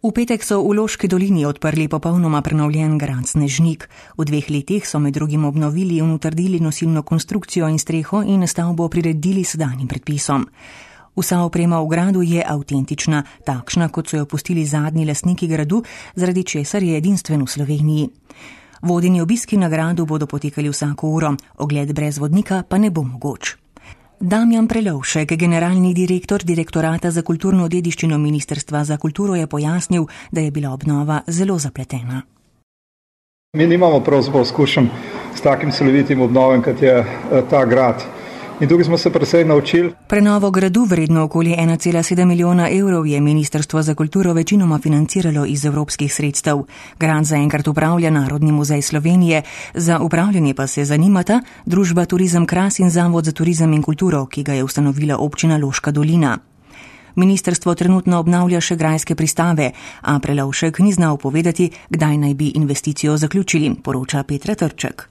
V petek so v Loški dolini odprli popolnoma prenovljen grad Snežnik. V 2 letih so med drugim obnovili in utrdili nosilno konstrukcijo in streho in stavbo priredili sedanjim predpisom. Vsa oprema v gradu je avtentična, takšna, kot so jo pustili zadnji lastniki gradu, zaradi česar je edinstven v Sloveniji. Vodeni obiski na gradu bodo potekali vsako uro, ogled brez vodnika pa ne bo mogoč. Damjan Prelovšek, generalni direktor Direktorata za kulturno dediščino Ministrstva za kulturo, je pojasnil, da je bila obnova zelo zapletena. Mi nimamo pravzaprav izkušenj s takim celovitim obnovem, kot je ta grad. In tukaj smo se precej naučili. Prenovo gradu vredno okoli 1,7 milijona evrov je Ministrstvo za kulturo večinoma financiralo iz evropskih sredstev. Grad zaenkrat upravlja Narodni muzej Slovenije, za upravljanje pa se zanimata družba Turizem Kras in Zavod za turizem in kulturo, ki ga je ustanovila občina Loška dolina. Ministrstvo trenutno obnavlja še grajske pristave, a Prelovšek ni znal povedati, kdaj naj bi investicijo zaključili, poroča Petra Trček.